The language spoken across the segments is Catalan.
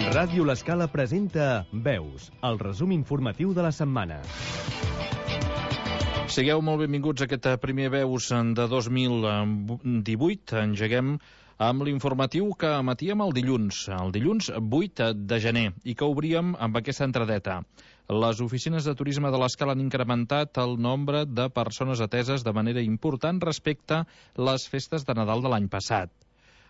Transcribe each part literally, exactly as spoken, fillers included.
Ràdio L'Escala presenta Veus, el resum informatiu de la setmana. Sigueu molt benvinguts a aquest primer Veus de dos mil divuit. Engeguem amb l'informatiu que emetíem el dilluns, el dilluns vuit de gener, i que obríem amb aquesta entradeta. Les oficines de turisme de l'Escala han incrementat el nombre de persones ateses de manera important respecte a les festes de Nadal de l'any passat.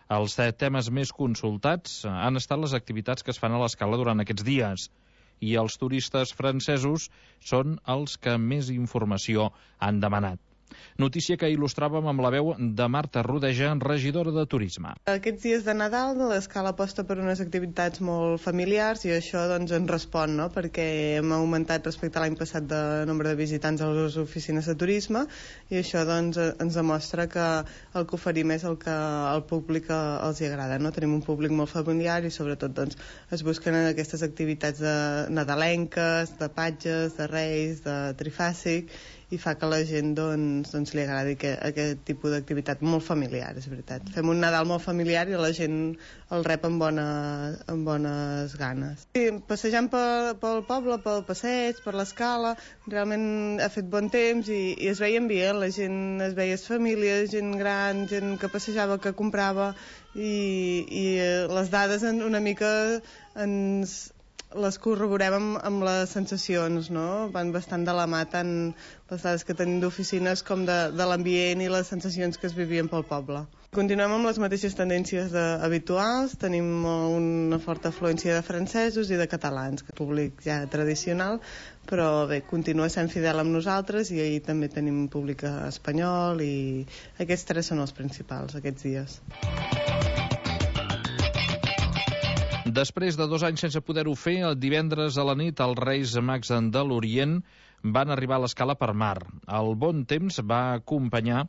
Els temes més consultats han estat les activitats que es fan a l'Escala durant aquests dies, i els turistes francesos són els que més informació han demanat. Notícia que il·lustràvem amb la veu de Marta Rodeja, regidora de Turisme. Aquests dies de Nadal l'Escala aposta per unes activitats molt familiars i això doncs ens respon, no? Perquè hem augmentat respecte a l'any passat de nombre de visitants a les oficines de turisme i això doncs ens demostra que el que oferim és el que al públic els hi agrada, no? Tenim un públic molt familiar i sobretot doncs es busquen aquestes activitats de nadalenques, de patges, de reis, de trifàsic, i fa que la gent doncs, doncs li agradi que, aquest tipus d'activitat molt familiar, és veritat. Fem un Nadal molt familiar i la gent el rep amb, bona, amb bones ganes. Sí, passejant pel, pel poble, pel passeig, per l'Escala, realment ha fet bon temps i, i es veia ambient, la gent es veia famílies, gent gran, gent que passejava, que comprava i, i les dades una mica ens... les corroborem amb, amb les sensacions, no? Van bastant de la mà tant les dades que tenim d'oficines com de, de l'ambient i les sensacions que es vivien pel poble. Continuem amb les mateixes tendències de, habituals, tenim una forta afluència de francesos i de catalans, que públic ja tradicional, però bé, continua sent fidel amb nosaltres i ahir també tenim un públic espanyol i aquests tres són els principals aquests dies. Després de dos anys sense poder-ho fer, el divendres a la nit els Reis Mags de l'Orient van arribar a l'Escala per mar. El bon temps va acompanyar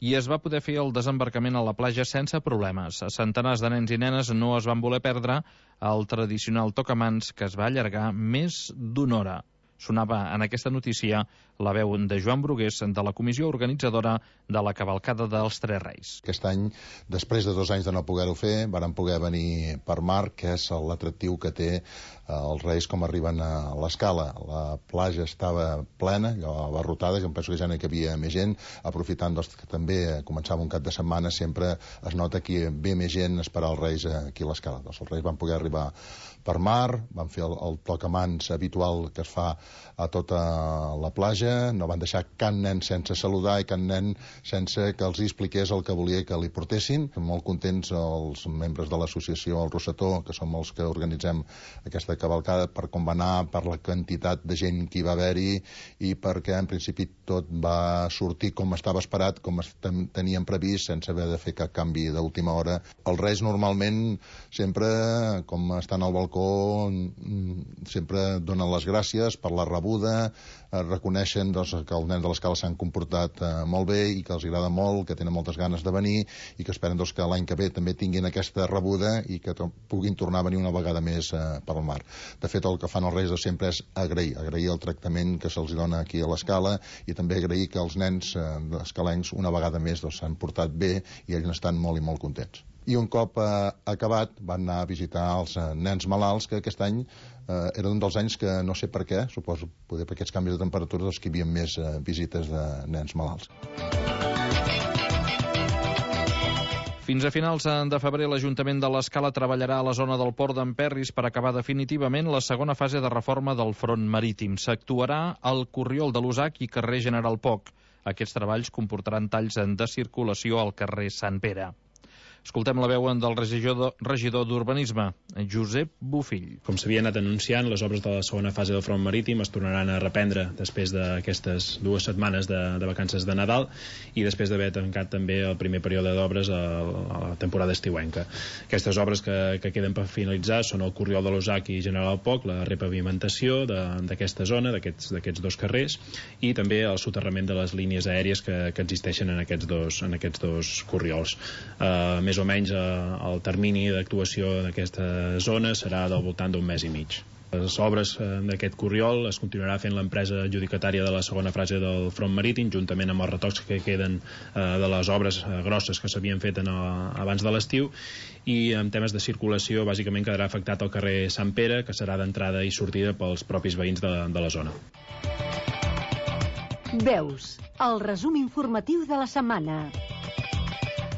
i es va poder fer el desembarcament a la platja sense problemes. Centenars de nens i nenes no es van voler perdre el tradicional tocamans que es va allargar més d'una hora. Sonava en aquesta notícia la veu de Joan Brugués, de la comissió organitzadora de la cavalcada dels Tres Reis. Aquest any, després de dos anys de no poder-ho fer, varen poder venir per mar, que és l'atractiu que té els Reis com arriben a l'Escala. La platja estava plena, allò abarrotada, jo em penso que ja no hi havia més gent, aprofitant doncs, que també començava un cap de setmana, sempre es nota que ve més gent a esperar els Reis aquí a l'Escala. Doncs els Reis van poder arribar per mar, van fer el, el tocamans habitual que es fa a tota la platja, no van deixar cap nen sense saludar i cap nen sense que els expliqués el que volia que li portessin. Molt contents els membres de l'associació El Rosetó, que som els que organitzem aquesta cavalcada, per com va anar, per la quantitat de gent que hi va haver-hi i perquè en principi tot va sortir com estava esperat, com teníem previst, sense haver de fer cap canvi d'última hora. Els Reis normalment sempre, com estan al balcó, sempre donen les gràcies per la rebuda, reconeixen doncs, que els nens de l'Escala s'han comportat eh, molt bé i que els agrada molt, que tenen moltes ganes de venir i que esperen doncs, que l'any que ve també tinguin aquesta rebuda i que puguin tornar a venir una vegada més eh, per al mar. De fet, el que fan els Reis de sempre és agrair, agrair el tractament que se'ls dona aquí a l'Escala i també agrair que els nens eh, escalencs una vegada més doncs, s'han portat bé i ells estan molt i molt contents. I un cop eh, acabat van anar a visitar els eh, nens malalts, que aquest any eh, era un dels anys que no sé per què, suposo poder per aquests canvis de temperatura, doncs que hi havia més eh, visites de nens malalts. Fins a finals de febrer, l'Ajuntament de l'Escala treballarà a la zona del port d'Emperris per acabar definitivament la segona fase de reforma del front marítim. S'actuarà al Corriol de l'Usac i carrer General Poc. Aquests treballs comportaran talls de circulació al carrer Sant Pere. Escoltem la veu del regidor d'Urbanisme, Josep Bofill. Com s'havia anat anunciant, les obres de la segona fase del front marítim es tornaran a reprendre després d'aquestes dues setmanes de, de vacances de Nadal i després d'haver tancat també el primer període d'obres a, a la temporada estiuenca. Aquestes obres que, que queden per finalitzar són el Corriol de l'Usac i General Poc, la repavimentació d'aquesta zona, d'aquests dos carrers, i també el soterrament de les línies aèries que, que existeixen en aquests dos, en aquests dos corriols. Uh, més o menys eh, el termini d'actuació d'aquesta zona serà del voltant d'un mes i mig. Les obres d'aquest corriol es continuarà fent l'empresa adjudicatària de la segona fase del front marítim, juntament amb els retocs que queden de les obres grosses que s'havien fet en el, abans de l'estiu, i en temes de circulació bàsicament quedarà afectat el carrer Sant Pere, que serà d'entrada i sortida pels propis veïns de, de la zona. Veus, el resum informatiu de la setmana.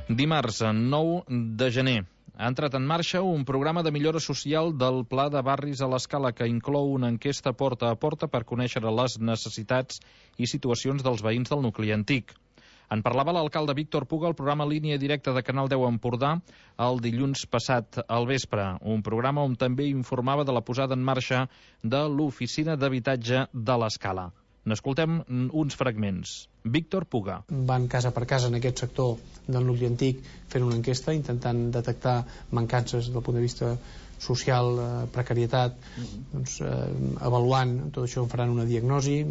Dimarts, nou de gener. Ha entrat en marxa un programa de millora social del Pla de Barris a l'Escala que inclou una enquesta porta a porta per conèixer les necessitats i situacions dels veïns del nucli antic. En parlava l'alcalde Víctor Puga al programa Línia Directa de Canal deu Empordà el dilluns passat al vespre, un programa on també informava de la posada en marxa de l'oficina d'habitatge de l'Escala. N'escoltem uns fragments. Víctor Puga. Van casa per casa en aquest sector del nucli antic fent una enquesta, intentant detectar mancances del punt de vista social, eh, precarietat, doncs, eh, avaluant tot això, faran una diagnosi,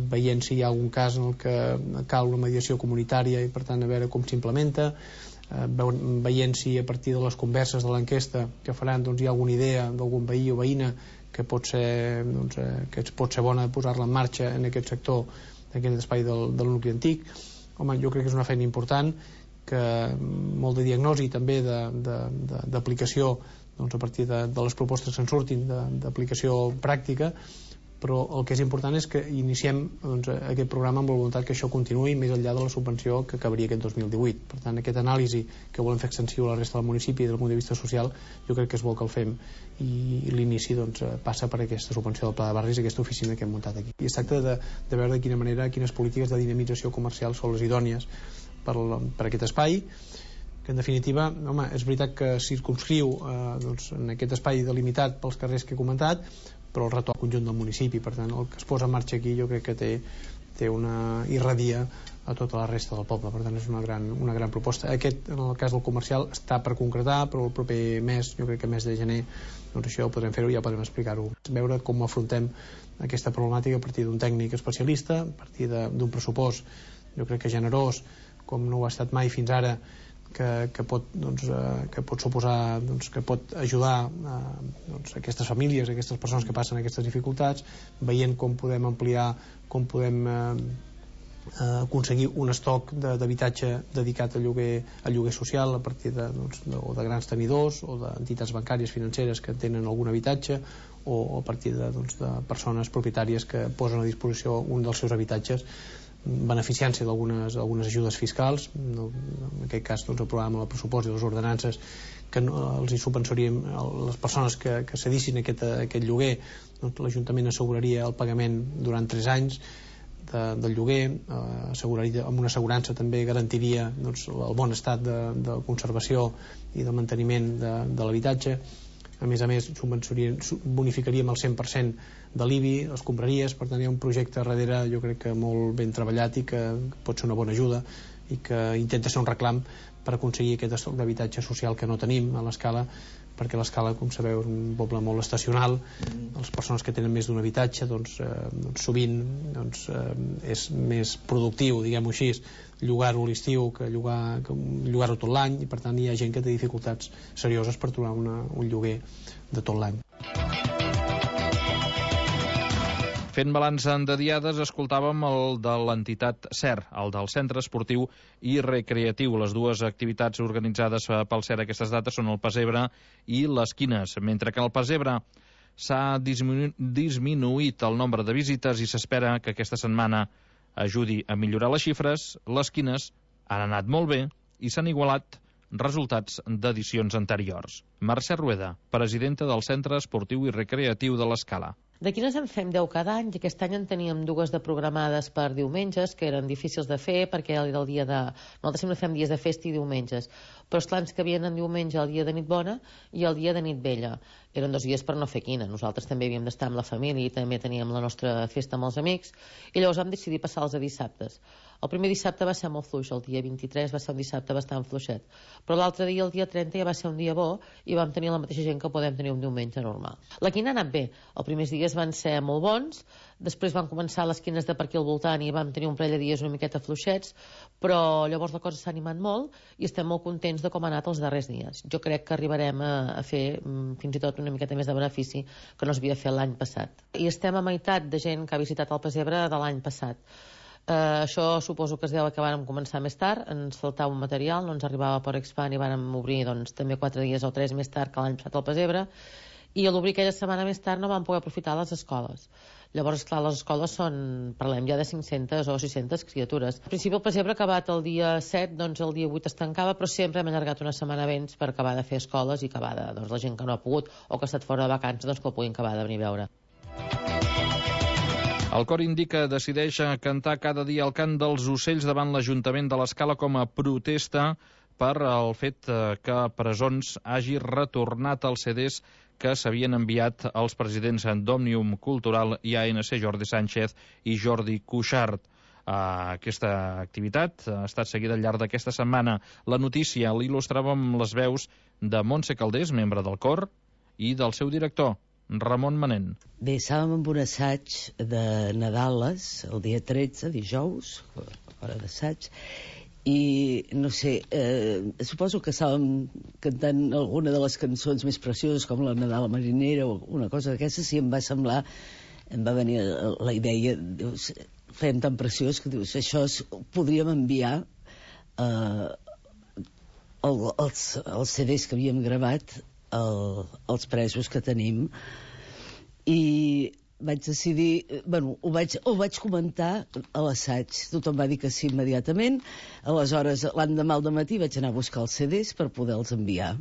veient si hi ha algun cas en el que cal una mediació comunitària i per tant a veure com s'implementa, eh, veient si a partir de les converses de l'enquesta que faran doncs, hi ha alguna idea d'algun veí o veïna que pot ser, doncs, eh, que pot ser bona posar-la en marxa en aquest sector, en aquest espai del, del nucli antic. Home, jo crec que és una feina important, que molt de diagnosi també d'aplicació doncs, a partir de, de les propostes que en surtin d'aplicació pràctica, però el que és important és que iniciem doncs, aquest programa amb la voluntat que això continuï més enllà de la subvenció que acabaria aquest dos mil divuit. Per tant, aquesta anàlisi que volem fer extensiu a la resta del municipi des del punt de vista social, jo crec que és bo que el fem, i l'inici doncs, passa per aquesta subvenció del Pla de Barris, aquesta oficina que hem muntat aquí. I es tracta de, de veure de quina manera, quines polítiques de dinamització comercial són les idònies per, per aquest espai, que en definitiva, home, és veritat que circumscriu eh, doncs, en aquest espai delimitat pels carrers que he comentat, però el retorn al conjunt del municipi. Per tant, el que es posa en marxa aquí jo crec que té, té una irradia a tota la resta del poble. Per tant, és una gran, una gran proposta. Aquest, en el cas del comercial, està per concretar, però el proper mes, jo crec que mes de gener, doncs això ho podrem fer-ho i ja podrem explicar-ho. Veure com afrontem aquesta problemàtica a partir d'un tècnic especialista, a partir d'un pressupost, jo crec que generós, com no ho ha estat mai fins ara, que, que, pot, doncs, eh, que pot suposar, doncs, que pot ajudar eh, doncs, aquestes famílies, aquestes persones que passen aquestes dificultats, veient com podem ampliar, com podem eh, eh, aconseguir un estoc d'habitatge dedicat a lloguer, a lloguer social a partir de, doncs, de, o de grans tenidors o d'entitats bancàries financeres que tenen algun habitatge, o, o a partir de, doncs, de persones propietàries que posen a disposició un dels seus habitatges beneficiant-se d'algunes algunes ajudes fiscals, no, en aquest cas doncs, aprovàvem el pressupost i les ordenances que no, els hi subvencionaríem les persones que, que cedissin aquest, aquest lloguer, doncs, l'Ajuntament asseguraria el pagament durant tres anys de, del lloguer, eh, asseguraria, amb una assegurança també garantiria doncs, el bon estat de, de conservació i de manteniment de, de l'habitatge. A més a més, bonificaríem el cent per cent de l'I B I, les compraries. Per tant, hi ha un projecte darrere, jo crec que molt ben treballat i que pot ser una bona ajuda i que intenta ser un reclam per aconseguir aquest estoc d'habitatge social que no tenim a l'Escala, perquè l'Escala, com sabeu, és un poble molt estacional. Les persones que tenen més d'un habitatge doncs, eh, doncs sovint doncs, eh, és més productiu, diguem-ho així, llogar-ho a l'estiu que llogar, llogar-ho tot l'any, i per tant hi ha gent que té dificultats serioses per trobar una, un lloguer de tot l'any. Fent balanç de diades, escoltàvem el de l'entitat C E R, el del Centre Esportiu i Recreatiu. Les dues activitats organitzades pel C E R aquestes dates són el Pessebre i les Quines, mentre que al Pessebre s'ha disminu disminuït el nombre de visites i s'espera que aquesta setmana ajudi a millorar les xifres. Les Quines han anat molt bé i s'han igualat resultats d'edicions anteriors. Mercè Rueda, presidenta del Centre Esportiu i Recreatiu de l'Escala. De quines en fem deu cada any, i aquest any en teníem dues de programades per diumenges, que eren difícils de fer perquè era el dia de... Nosaltres sempre fem dies de festa i diumenges, però esclar, ens cabien en diumenge el dia de nit bona i el dia de nit vella. Eren dos dies per no fer quina. Nosaltres també havíem d'estar amb la família i també teníem la nostra festa amb els amics, i llavors vam decidir passar-los a dissabtes. El primer dissabte va ser molt fluix, el dia vint-i-tres va ser un dissabte bastant fluixet, però l'altre dia, el dia trenta, ja va ser un dia bo i vam tenir la mateixa gent que podem tenir un diumenge normal. La quina ha anat bé. Els primers dies dies van ser molt bons, després van començar les quines de per aquí al voltant i vam tenir un parell de dies una miqueta fluixets, però llavors la cosa s'ha animat molt i estem molt contents de com ha anat els darrers dies. Jo crec que arribarem a, a fer fins i tot una miqueta més de benefici que no s'havia fet l'any passat. I estem a meitat de gent que ha visitat el Pessebre de l'any passat. Uh, això suposo que es deu que vàrem començar més tard, ens faltava un material, no ens arribava per Expand i vàrem obrir doncs, també quatre dies o tres més tard que l'any passat al Pessebre, i a l'obrir aquella setmana més tard no vam poder aprofitar les escoles. Llavors, clar, les escoles són, parlem ja de cinc-centes o sis-centes criatures. Al principi el Pessebre ha acabat el dia set, doncs el dia vuit es tancava, però sempre hem allargat una setmana abans per acabar de fer escoles i acabar de, doncs, la gent que no ha pogut o que ha estat fora de vacances, doncs que el puguin acabar de venir a veure. El cor indica decideix cantar cada dia el cant dels ocells davant l'Ajuntament de l'Escala com a protesta per el fet que Presons hagi retornat els C Ds que s'havien enviat als presidents d'Òmnium Cultural i A N C Jordi Sánchez i Jordi Cuixart. Aquesta activitat ha estat seguida al llarg d'aquesta setmana. La notícia l'il·lustràvem les veus de Montse Caldés, membre del cor, i del seu director, Ramon Manent. Bé, estàvem amb un assaig de Nadales, el dia tretze, dijous, hora d'assaig, i no sé, eh, suposo que estàvem cantant alguna de les cançons més precioses com la Nadala Marinera o una cosa d'aquestes, i em va semblar, em va venir la idea, dius, fem tan preciós que dius, això es, podríem enviar eh, el, els, els C Ds que havíem gravat el, els presos que tenim, i vaig decidir, bueno, ho vaig, ho vaig comentar a l'assaig. Tothom va dir que sí immediatament. Aleshores, l'endemà al dematí vaig anar a buscar els C Ds per poder-los enviar.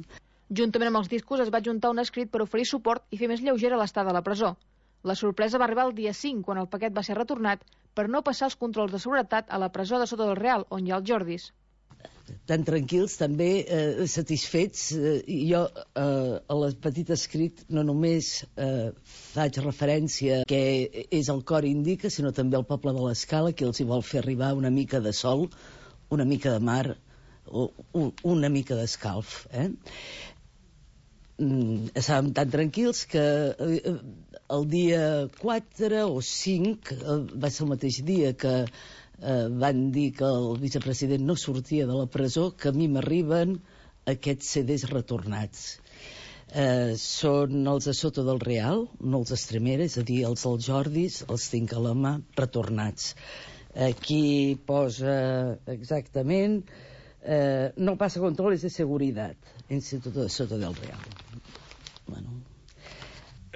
Juntament amb els discos es va juntar un escrit per oferir suport i fer més lleugera l'estada a la presó. La sorpresa va arribar el dia cinc, quan el paquet va ser retornat per no passar els controls de seguretat a la presó de Soto del Real, on hi ha els Jordis. Tan tranquils, també eh, satisfets. Eh, jo eh, a la petita escrit no només eh, faig referència que és el cor indica, sinó també el poble de l'Escala, que els hi vol fer arribar una mica de sol, una mica de mar, o, o una mica d'escalf. Eh? Mm, estàvem tan tranquils que eh, el dia quatre o cinc, eh, va ser el mateix dia que Uh, van dir que el vicepresident no sortia de la presó, que a mi m'arriben aquests C Ds retornats. Uh, són els de Soto del Real, no els d'Estremera, és a dir, els dels Jordis, els tinc a la mà, retornats. Aquí posa exactament uh, no passa controles de seguretat, Instituto de Soto del Real. Bueno,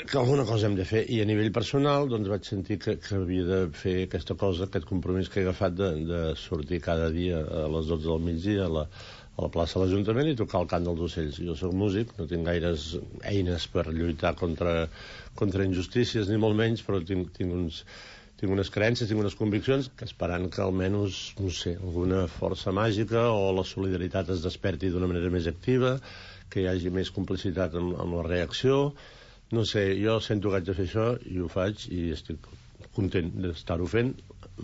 que alguna cosa hem de fer, i a nivell personal doncs vaig sentir que, que havia de fer aquesta cosa, aquest compromís que he agafat de, de sortir cada dia a les dotze del migdia a la, a la plaça de l'Ajuntament i tocar el cant dels ocells. Jo soc músic, no tinc gaires eines per lluitar contra, contra injustícies, ni molt menys, però tinc, tinc, uns, tinc unes creences, tinc unes conviccions que esperant que almenys, no sé, alguna força màgica o la solidaritat es desperti d'una manera més activa, que hi hagi més complicitat amb, amb la reacció. No sé, jo sento que haig de fer això i ho faig i estic content d'estar-ho fent.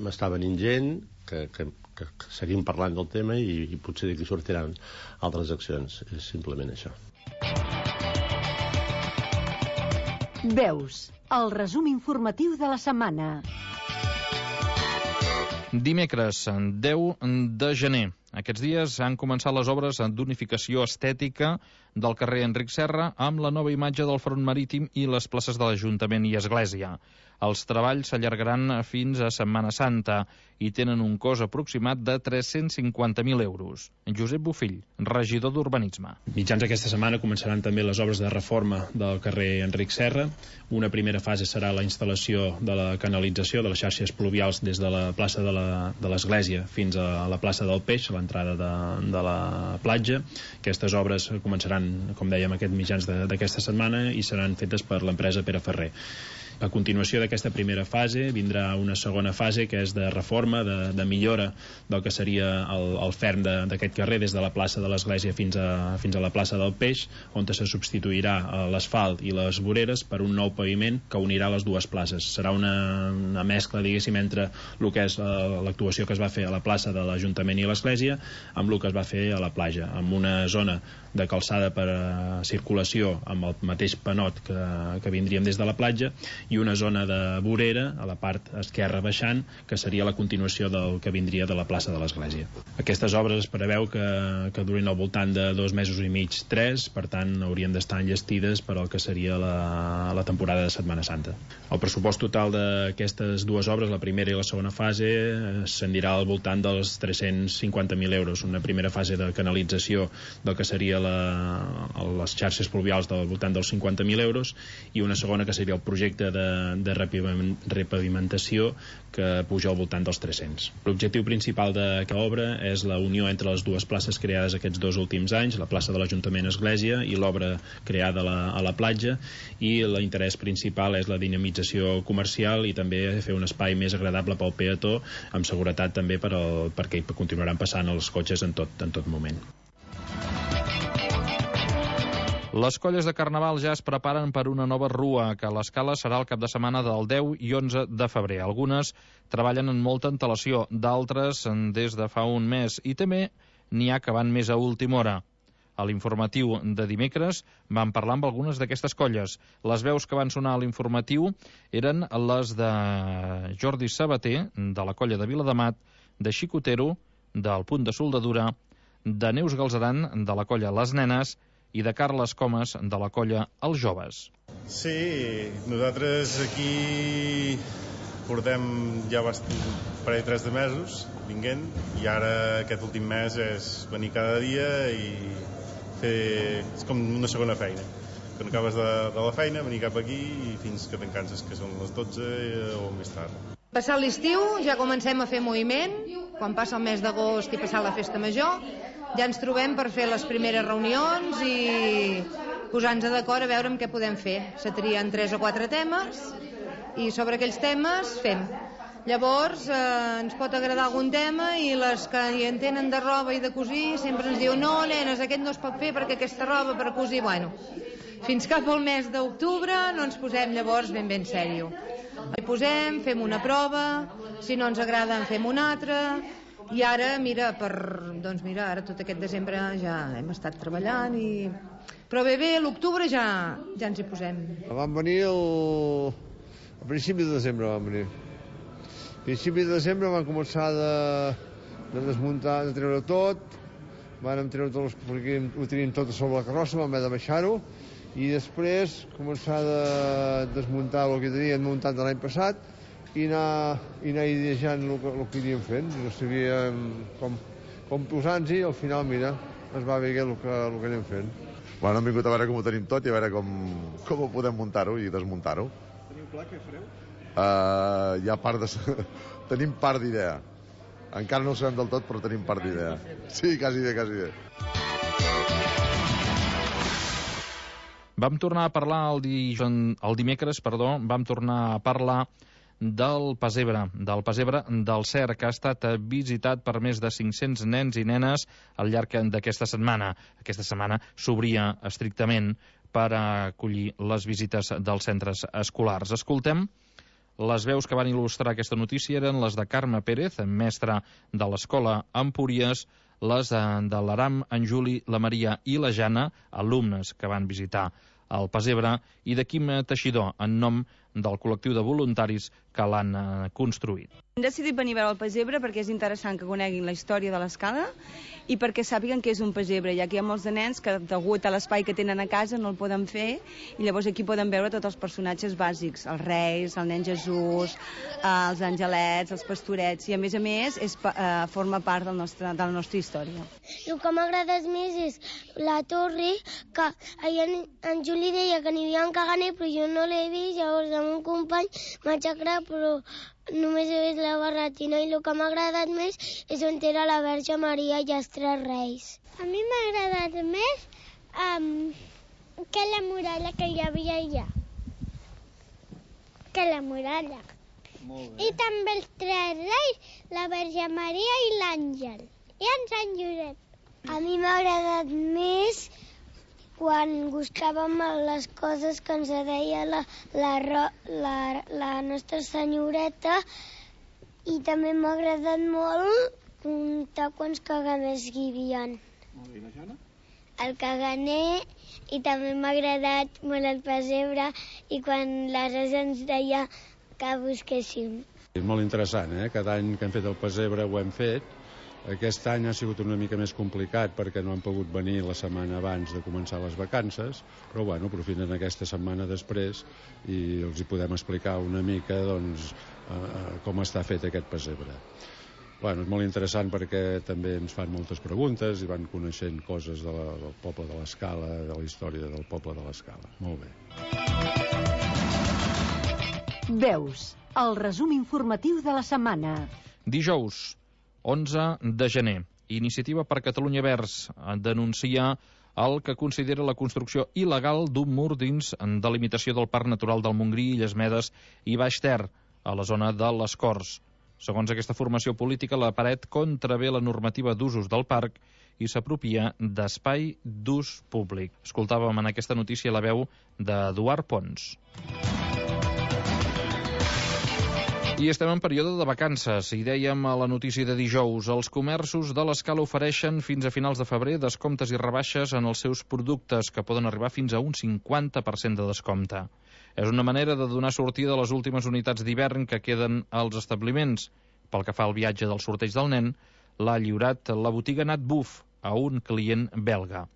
M'està venint gent que, que, que, que seguim parlant del tema i, i potser d'aquí sortiran altres accions. És simplement això. Veus, el resum informatiu de la setmana. Dimecres, deu de gener. Aquests dies han començat les obres d'unificació estètica del carrer Enric Serra amb la nova imatge del front marítim i les places de l'Ajuntament i Església. Els treballs s'allargaran fins a Setmana Santa i tenen un cost aproximat de tres-cents cinquanta mil euros. Josep Bofill, regidor d'Urbanisme. Mitjans aquesta setmana començaran també les obres de reforma del carrer Enric Serra. Una primera fase serà la instal·lació de la canalització de les xarxes pluvials des de la plaça de l'Església fins a la plaça del Peix, a l'entrada de, de la platja. Aquestes obres començaran, com dèiem, aquest mitjans d'aquesta setmana i seran fetes per l'empresa Pere Ferrer. A continuació d'aquesta primera fase vindrà una segona fase que és de reforma, de, de millora del que seria el, el ferm d'aquest carrer des de la plaça de l'Església fins a, fins a la plaça del Peix, on se substituirà l'asfalt i les voreres per un nou paviment que unirà les dues places. Serà una, una mescla, diguéssim, entre el que és l'actuació que es va fer a la plaça de l'Ajuntament i l'Església amb el que es va fer a la platja, amb una zona de calçada per a circulació amb el mateix panot que, que vindríem des de la platja i una zona de vorera a la part esquerra baixant, que seria la continuació del que vindria de la plaça de l'Església. Aquestes obres es preveu que, que durin al voltant de dos mesos i mig, tres, per tant haurien d'estar enllestides per al que seria la, la temporada de Setmana Santa. El pressupost total d'aquestes dues obres, la primera i la segona fase, ascendirà al voltant dels tres-cents cinquanta mil euros. Una primera fase de canalització del que seria la, les xarxes pluvials del voltant dels cinquanta mil euros i una segona que seria el projecte de, de repavimentació que puja al voltant dels tres-cents. L'objectiu principal d'aquesta obra és la unió entre les dues places creades aquests dos últims anys, la plaça de l'Ajuntament Església i l'obra creada a la, a la platja, i l'interès principal és la dinamització comercial i també fer un espai més agradable pel peató, amb seguretat també per al, perquè continuaran passant els cotxes en tot, en tot moment. Les colles de Carnaval ja es preparen per una nova rua, que a l'Escala serà el cap de setmana del deu i onze de febrer. Algunes treballen amb molta antelació, d'altres des de fa un mes, i també n'hi ha que van més a última hora. A l'informatiu de dimecres vam parlar amb algunes d'aquestes colles. Les veus que van sonar a l'informatiu eren les de Jordi Sabater, de la colla de Viladamat, de Xicotero, del Punt de Soldadura, de Neus Galzeran, de la colla Les Nenes, i de Carles Comas, de la colla Els Joves. Sí, nosaltres aquí portem ja un parell tres de mesos vinguent, i ara aquest últim mes és venir cada dia i fer... és com una segona feina. Quan acabes de, de la feina, venir cap aquí i fins que te'n canses, que són les dotze o més tard. Passat l'estiu ja comencem a fer moviment, quan passa el mes d'agost i passar la festa major, ja ens trobem per fer les primeres reunions i posar-nos d'acord a veure amb què podem fer. Se trien tres o quatre temes i sobre aquells temes fem. Llavors eh, ens pot agradar algun tema i les que hi entenen de roba i de cosir sempre ens diuen no, nenes, aquest no es pot fer perquè aquesta roba per cosir, bueno, fins cap al mes d'octubre no ens posem llavors ben ben sèrio. Hi posem, fem una prova, si no ens agrada en fem una altra. I ara, mira, per, doncs mira, ara tot aquest desembre ja hem estat treballant i... Però bé, bé, l'octubre ja, ja ens hi posem. Vam venir el... a principi de desembre vam venir. A principi de desembre vam començar de, de desmuntar, de treure tot, vam treure tot, els... perquè ho teníem tot a sobre la carrossa, vam haver de baixar-ho, i després començar de desmuntar el que teníem muntat de l'any passat, i anar, i anar ideejant el que, el que iríem fent. No sabíem com, com posar-nos-hi, i al final, mira, es va veure el que, el que anem fent. Bueno, hem vingut a veure com ho tenim tot i a veure com, com ho podem muntar-ho i desmuntar-ho. Teniu clar què fareu? Uh, hi ha part de... tenim part d'idea. Encara no ho sabem del tot, però tenim part d'idea. Sí, quasi bé, quasi bé. Vam tornar a parlar el, dijous, el dimecres, perdó, vam tornar a parlar del Pessebre, del Pessebre del Cer, que ha estat visitat per més de cinc-cents nens i nenes al llarg d'aquesta setmana. Aquesta setmana s'obria estrictament per acollir les visites dels centres escolars. Escoltem les veus que van il·lustrar aquesta notícia eren les de Carme Pérez, mestra de l'escola Empúries, les de l'Aram, en Juli, la Maria i la Jana, alumnes que van visitar el Pessebre, i de Quim Teixidor, en nom del col·lectiu de voluntaris que l'han construït. Hem decidit venir a veure el Pessebre perquè és interessant que coneguin la història de l'Escala i perquè sàpiguen què és un pessebre, ja que hi ha molts de nens que, degut a l'espai que tenen a casa, no el poden fer, i llavors aquí poden veure tots els personatges bàsics, els reis, el nen Jesús, els angelets, els pastorets, i a més a més és, eh, forma part del nostre, de la nostra història. El que m'ha agradat més és la torre, que ahir en, en Juli deia que n'hi havia un caganer, però jo no l'he vist, llavors amb un company m'ha xacrat, però només he vist la barretina, i el que m'ha agradat més és on era la Verge Maria i els tres reis. A mi m'ha agradat més um, que la muralla que hi havia allà. Que la muralla. Molt bé. I també els tres reis, la Verge Maria i l'àngel. I en Sant Josep. A mi m'ha agradat més quan gustàvem les coses que ens deia la, la, la, la nostra senyoreta, i també m'ha agradat molt comptar quants cagamers hi havia. Molt bé, i la Jana? el caganer, i també m'ha agradat molt el pessebre i quan la Rosa ens deia que busquéssim. És molt interessant, eh? Cada any que hem fet el pessebre ho hem fet. Aquest any ha sigut una mica més complicat perquè no han pogut venir la setmana abans de començar les vacances, però bueno, aprofiten aquesta setmana després i els hi podem explicar una mica doncs, eh, com està fet aquest pessebre. Bueno, és molt interessant perquè també ens fan moltes preguntes i van coneixent coses de la, del poble de l'Escala, de la història del poble de l'Escala. Molt bé. Veus, el resum informatiu de la setmana. Dijous, onze de gener, Iniciativa per Catalunya Verds denuncia el que considera la construcció il·legal d'un mur dins de limitació del Parc Natural del Montgrí, Illes Medes i Baix Ter, a la zona de les Corts. Segons aquesta formació política, la paret contravé la normativa d'usos del parc i s'apropia d'espai d'ús públic. Escoltàvem en aquesta notícia la veu d'Eduard Pons. I estem en període de vacances, i dèiem a la notícia de dijous, els comerços de l'Escala ofereixen fins a finals de febrer descomptes i rebaixes en els seus productes, que poden arribar fins a un cinquanta per cent de descompte. És una manera de donar sortida a les últimes unitats d'hivern que queden als establiments. Pel que fa al viatge del sorteig del nen, l'ha lliurat la botiga Nat Buf a un client belga.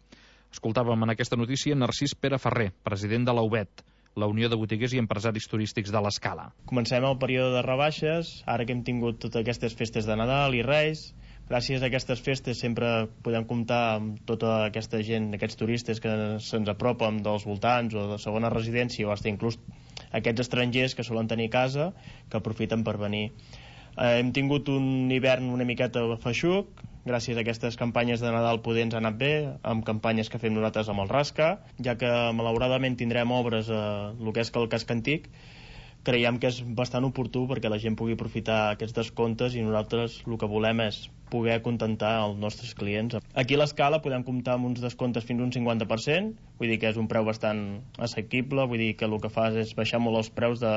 Escoltàvem en aquesta notícia Narcís Pere Ferrer, president de l'A U B E T, la Unió de Botiguers i Empresaris Turístics de l'Escala. Comencem el període de rebaixes, ara que hem tingut totes aquestes festes de Nadal i Reis. Gràcies a aquestes festes sempre podem comptar amb tota aquesta gent, aquests turistes que se'ns apropen dels voltants o de segona residència, o fins inclús aquests estrangers que solen tenir casa, que aprofiten per venir. Eh, hem tingut un hivern una miqueta feixuc, gràcies a aquestes campanyes de Nadal poder ens ha anat bé, amb campanyes que fem nosaltres amb el Rasca, ja que malauradament tindrem obres a el que és el casc antic. Creiem que és bastant oportú perquè la gent pugui aprofitar aquests descomptes i nosaltres el que volem és poder acontentar els nostres clients. Aquí a l'Escala podem comptar amb uns descomptes fins a un cinquanta per cent, vull dir que és un preu bastant assequible, vull dir que el que fas és baixar molt els preus de...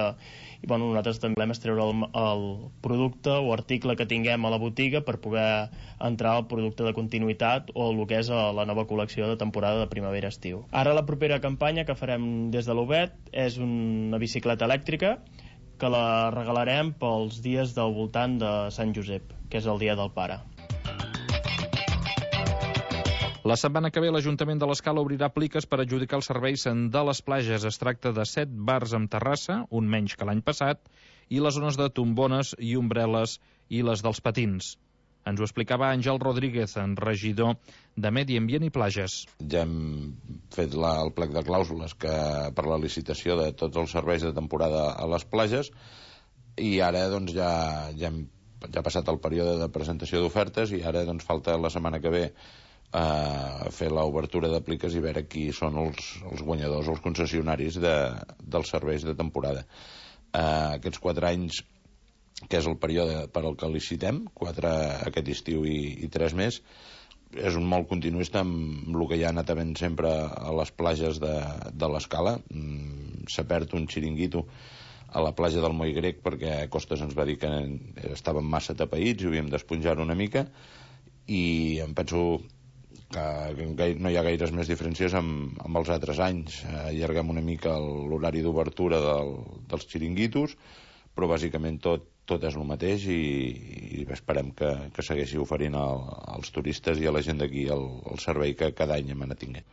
I bueno, nosaltres també volem treure el, el producte o article que tinguem a la botiga per poder entrar al producte de continuïtat o el que és la nova col·lecció de temporada de primavera-estiu. Ara la propera campanya que farem des de l'U B E T és una bicicleta elèctrica que la regalarem pels dies del voltant de Sant Josep, que és el dia del pare. La setmana que ve l'Ajuntament de l'Escala obrirà pliques per adjudicar els serveis de les platges. Es tracta de set bars amb terrassa, un menys que l'any passat, i les zones de tombones i ombrel·les i les dels patins. Ens ho explicava Àngel Rodríguez, en regidor de Medi Ambient i Plages. Ja hem fet la, el plec de clàusules que, per la licitació de tots els serveis de temporada a les platges, i ara doncs, ja, ja, hem, ja ha passat el període de presentació d'ofertes i ara doncs, falta la setmana que ve a fer l'obertura de pliques i veure qui són els, els guanyadors, els concessionaris de, dels serveis de temporada. Uh, aquests quatre anys, que és el període per al que licitem, quatre aquest estiu i, i tres més, és un molt continuista amb el que ja ha anat havent sempre a les platges de, de l'Escala. Mm, s'ha perd un xiringuito a la platja del Moll Grec perquè a Costes ens va dir que estàvem massa tapaïts i havíem d'esponjar una mica, i em penso que no hi ha gaires més diferències amb, amb els altres anys. Allarguem una mica l'horari d'obertura del, dels xiringuitos, però bàsicament tot, tot és el mateix i, i esperem que, que segueixi oferint al, als turistes i a la gent d'aquí el, el servei que cada any hem anat tinguent.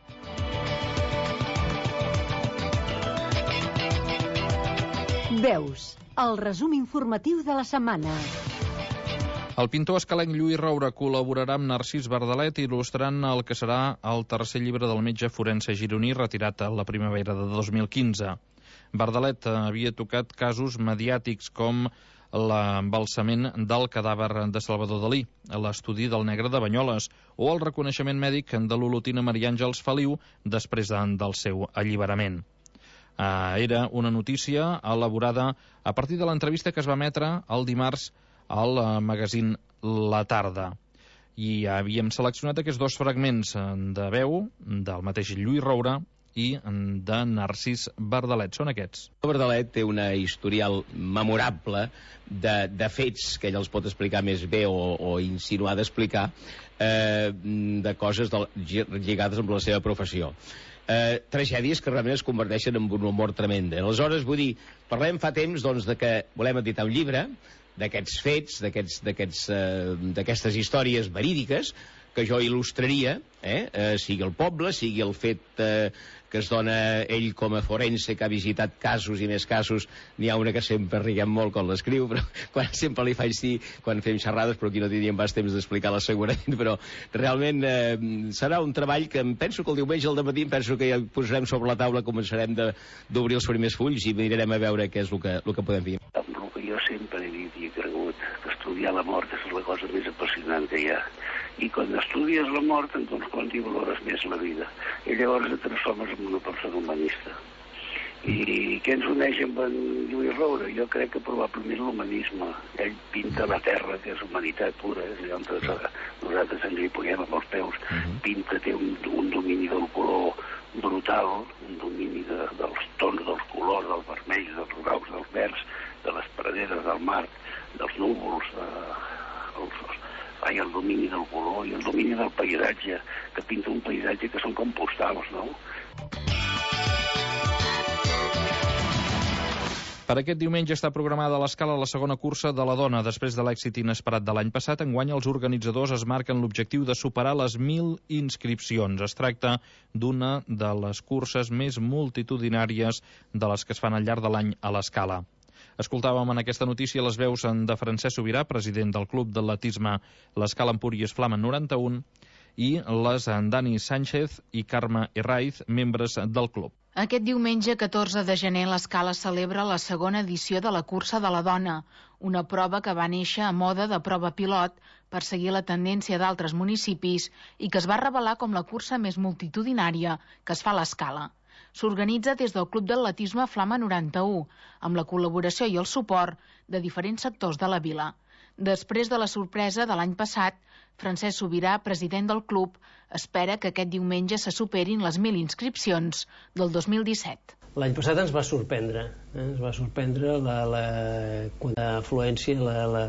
Veus, el resum informatiu de la setmana. El pintor escalenc Lluís Roura col·laborarà amb Narcís Bardalet il·lustrant el que serà el tercer llibre del metge forense gironí retirat a la primavera de dos mil quinze. Bardalet havia tocat casos mediàtics com l'embalsament del cadàver de Salvador Dalí, l'estudi del negre de Banyoles o el reconeixement mèdic de l'olotina Maria Àngels Feliu després de, del seu alliberament. Uh, era una notícia elaborada a partir de l'entrevista que es va emetre el dimarts al magazín La Tarda. I havíem seleccionat aquests dos fragments de veu del mateix Lluís Roura i de Narcís Verdalet. Són aquests. Verdalet té una historial memorable de, de fets que ell els pot explicar més bé o, o insinuar d'explicar, eh, de coses de, lligades amb la seva professió. Eh, tragèdies que realment es converteixen en un humor tremend. Aleshores, vull dir, parlem fa temps doncs, de que volem editar un llibre d'aquests fets, d'aquestes eh, històries verídiques que jo il·lustraria, eh, eh, sigui el poble, sigui el fet eh, que es dona ell com a forense que ha visitat casos i més casos. N'hi ha una que sempre riguem molt quan l'escriu, però quan sempre li faig dir, quan fem xerrades, però aquí no tindríem pas temps d'explicar-la segurament, però realment eh, serà un treball que em penso que el diumenge al dematí em penso que ja posarem sobre la taula, començarem d'obrir els primers fulls i mirarem a veure què és el que, el que podem dir. Amb el que jo sempre he dit i he cregut, que estudiar la mort és la cosa més apassionant que hi ha. I quan estudies la mort, doncs quan t'hi valores més la vida. I llavors et transformes en una persona humanista. I què ens uneix amb en Lluís Roure? Jo crec que probablement l'humanisme. Ell pinta la terra, que és humanitat pura, és allà on nosaltres ens hi puguem amb els peus. Pinta, té un, un domini del color brutal, un domini de, dels tons, dels colors, dels vermells, dels grocs, dels verds, de les praderes, del mar, dels núvols, de, els, i el domini del color i el domini del paisatge, que pinta un paisatge que són com postals, no? Per aquest diumenge està programada a l'Escala la segona cursa de la dona. Després de l'èxit inesperat de l'any passat, enguany els organitzadors es marquen l'objectiu de superar les mil inscripcions. Es tracta d'una de les curses més multitudinàries de les que es fan al llarg de l'any a l'Escala. Escoltàvem en aquesta notícia les veus de Francesc Sobirà, president del Club d'Atletisme l'Escala Empúries Flama noranta-un, i les Dani Sánchez i Carme Herraiz, membres del club. Aquest diumenge catorze de gener l'Escala celebra la segona edició de la Cursa de la Dona, una prova que va néixer a moda de prova pilot per seguir la tendència d'altres municipis i que es va revelar com la cursa més multitudinària que es fa a l'Escala. S'organitza des del Club d'Atletisme Flama noranta-u, amb la col·laboració i el suport de diferents sectors de la vila. Després de la sorpresa de l'any passat, Francesc Sobirà, president del club, espera que aquest diumenge se superin les mil inscripcions del dos mil disset. L'any passat ens va sorprendre, eh? ens va sorprendre la, la, la afluència la, la,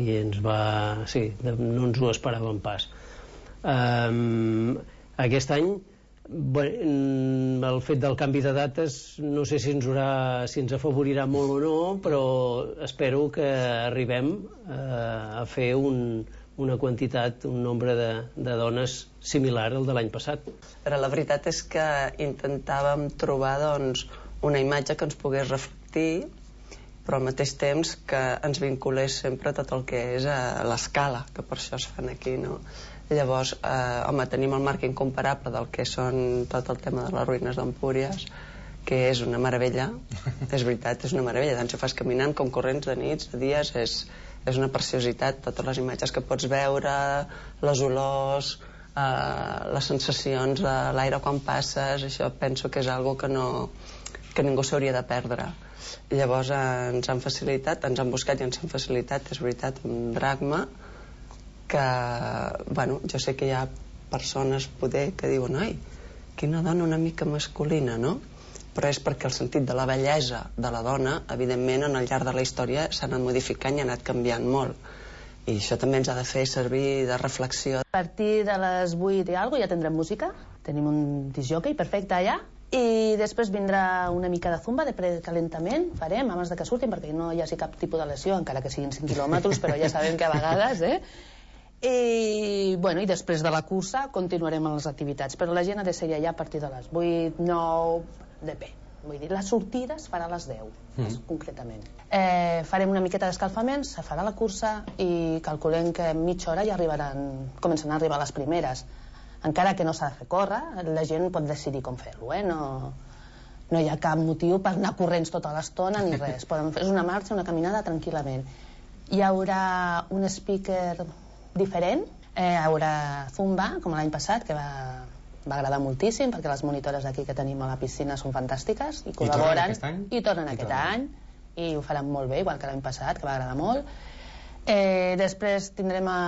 i ens va... sí, no ens ho esperàvem pas. Um, aquest any Bueno, el fet del canvi de dates no sé si ens, haurà, si ens afavorirà molt o no, però espero que arribem eh, a fer un, una quantitat, un nombre de, de dones similar al de l'any passat. Però la veritat és que intentàvem trobar doncs, una imatge que ens pogués reflectir, però al mateix temps que ens vinculés sempre tot el que és a l'Escala, que per això es fan aquí, no? Llavors, eh, home, tenim el marc incomparable del que són tot el tema de les ruïnes d'Empúries, que és una meravella, és veritat, és una meravella, tant si ho fas caminant com corrents de nits, de dies, és, és una preciositat, totes les imatges que pots veure, les olors, eh, les sensacions de l'aire quan passes, això penso que és algo que, no, que ningú s'hauria de perdre. Llavors eh, ens han facilitat, ens han buscat i ens han facilitat, és veritat, un dracma, que, bueno, jo sé que hi ha persones poder que diuen ai, quina dona una mica masculina, no? Però és perquè el sentit de la bellesa de la dona, evidentment, en el llarg de la història s'ha anat modificant i ha anat canviant molt. I això també ens ha de fer servir de reflexió. A partir de les vuit i alguna ja tindrem música, tenim un discjòquei perfecte allà, i després vindrà una mica de zumba de precalentament, farem abans de que surtin perquè no hi hagi cap tipus de lesió, encara que siguin cinc quilòmetres, però ja sabem que a vegades, eh? I, bueno, i després de la cursa continuarem amb les activitats, però la gent ha de ser allà a partir de les vuit, nou, depèn. Vull dir, la sortida es farà a les deu, mm. concretament. Eh, farem una miqueta d'escalfament, se farà la cursa i calculem que en mitja hora ja arribaran, començaran a arribar les primeres. Encara que no s'ha de fer córrer, la gent pot decidir com fer-lo, eh? No, no hi ha cap motiu per anar corrents tota l'estona ni res. Podem fer una marxa, una caminada tranquil·lament. Hi haurà un speaker diferent, eh, hi haurà zumba, com l'any passat, que va, va agradar moltíssim, perquè les monitores d'aquí que tenim a la piscina són fantàstiques i col·laboren. I tornen aquest any? I tornen aquest any, i ho faran molt bé, igual que l'any passat, que va agradar molt. Eh, després tindrem a,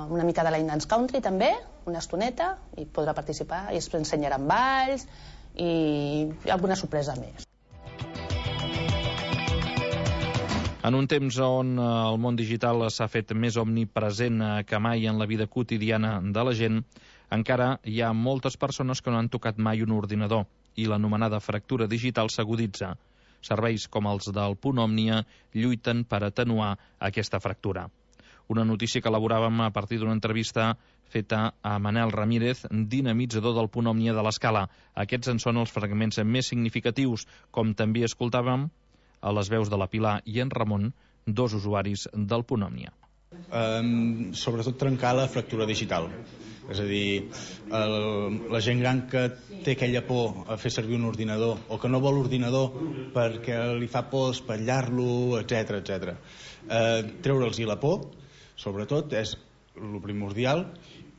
una mica de line dance country també, una estoneta, i podrà participar, i es ensenyaran balls i alguna sorpresa més. En un temps on el món digital s'ha fet més omnipresent que mai en la vida quotidiana de la gent, encara hi ha moltes persones que no han tocat mai un ordinador i l'anomenada fractura digital s'aguditza. Serveis com els del Punt Òmnia lluiten per atenuar aquesta fractura. Una notícia que elaboràvem a partir d'una entrevista feta a Manel Ramírez, dinamitzador del Punt Òmnia de l'Escala. Aquests en són els fragments més significatius, com també escoltàvem a les veus de la Pilar i en Ramon, dos usuaris del Punt Òmnia. Um, sobretot trencar la fractura digital. És a dir, el, la gent gran que té aquella por a fer servir un ordinador o que no vol ordinador perquè li fa por espatllar-lo, etcètera, etcètera. Uh, treure'ls-hi la por, sobretot, és el primordial,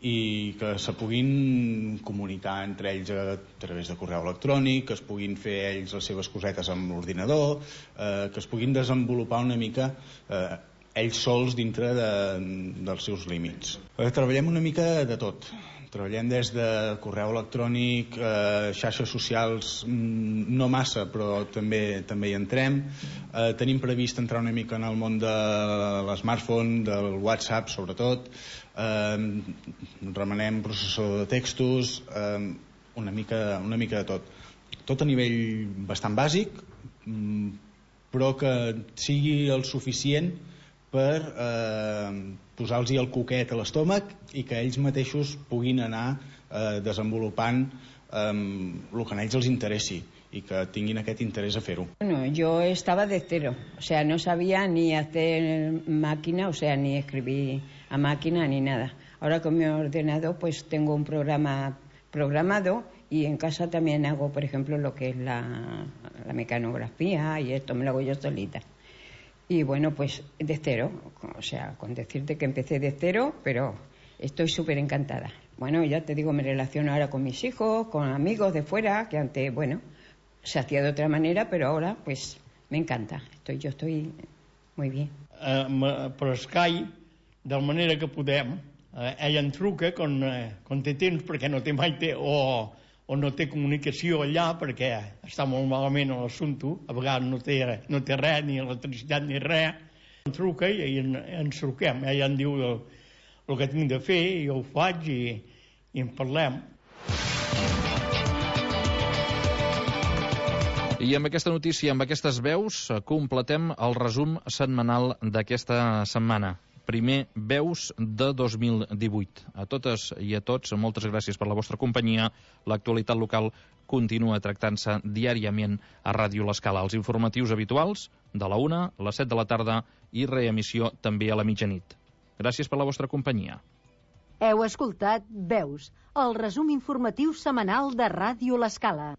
i que se puguin comunicar entre ells a través de correu electrònic, que es puguin fer ells les seves cosetes amb l'ordinador, eh, que es puguin desenvolupar una mica eh, ells sols dintre de, dels seus límits. Eh, treballem una mica de tot. Treballem des de correu electrònic, eh, xarxes socials, no massa, però també també hi entrem. Eh, tenim previst entrar una mica en el món de l'smartphone, del WhatsApp, sobretot. Eh, remenem processador de textos, eh, una mica, una mica de tot. Tot a nivell bastant bàsic, però que sigui el suficient per eh, posar-los el coquet a l'estómac i que ells mateixos puguin anar eh, desenvolupant eh, el que a ells els interessi y que tinguin aquest interés a fer-ho. Bueno, yo estaba de cero, o sea, no sabía ni hacer máquina, o sea, ni escribir a máquina ni nada. Ahora con mi ordenador pues tengo un programa programado y en casa también hago, por ejemplo, lo que es la, la mecanografía y esto me lo hago yo solita. Y bueno, pues de cero, o sea, con decirte que empecé de cero, pero estoy súper encantada. Bueno, ya te digo, me relaciono ahora con mis hijos, con amigos de fuera, que antes, bueno, se hacía de otra manera, pero ahora pues me encanta. Estoy, yo estoy muy bien. Uh, per Skype, de manera que podem, uh, ella em truca quan, uh, quan té temps, perquè no té mai té, o, o no té comunicació allà, perquè està molt malament l'assumpte, a vegades no té, no té res, ni electricitat ni res. Em truca i en, ens truquem. Ella em diu el, el que tinc de fer, i jo ho faig i, i en parlem. I amb aquesta notícia, amb aquestes veus, completem el resum setmanal d'aquesta setmana. Primer Veus de dos mil divuit. A totes i a tots, moltes gràcies per la vostra companyia. L'actualitat local continua tractant-se diàriament a Ràdio L'Escala. Els informatius habituals de la una, a les set de la tarda i reemissió també a la mitjanit. Gràcies per la vostra companyia. Heu escoltat Veus, el resum informatiu setmanal de Ràdio L'Escala.